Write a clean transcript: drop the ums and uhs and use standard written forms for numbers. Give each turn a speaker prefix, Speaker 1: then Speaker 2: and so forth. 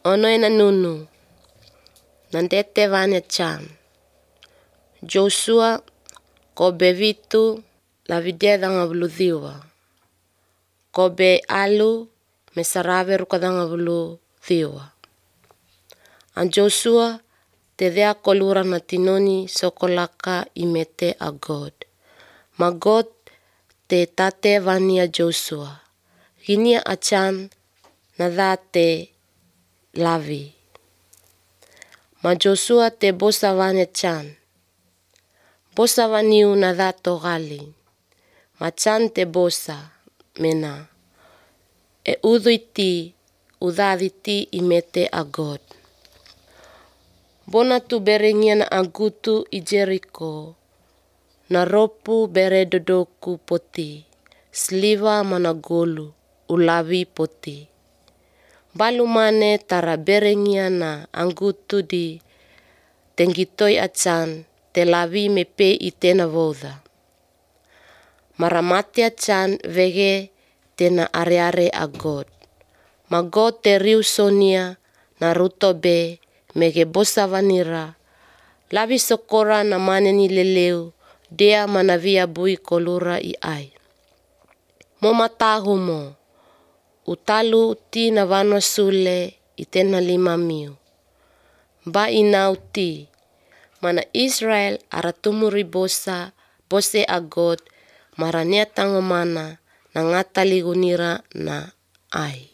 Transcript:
Speaker 1: ono ena nunu, nandete vanya chan. Joshua kobe vitu lavidia danga vuluthiwa. Kobe alu mesarave rukadanga vuluthiwa. An Joshua te dhea kolura na tinoni sokolaka imete a God. Ma God te tate vania Joshua. Ginia achan na dha te lavi. Ma Joshua te bosa vanya chan. Bosa vaniu na dha togali. Ma chan te bosa mena. E udhu iti udhaditi imete a God. Bona tu berengia na agutu i Jericho. Na ropu bere dodoku poti. Sliva mana golu ulavi poti. Balu mane tara berengia na angutu di tenggitoi achan te lavi mepe itena voda. Maramate achan vege tena are a God. Ma God te riu sonia na rutobe mege bosa vanira. Lavi sokora na maneni leleu dea manavia bui kolura i ai. Mo matahu mo. Utalu ti na vano sule itena 5,000. Ba inau ti. Mana Israel aratumuri bosa bose a God maranea tangomana na ngata ligunira na ai.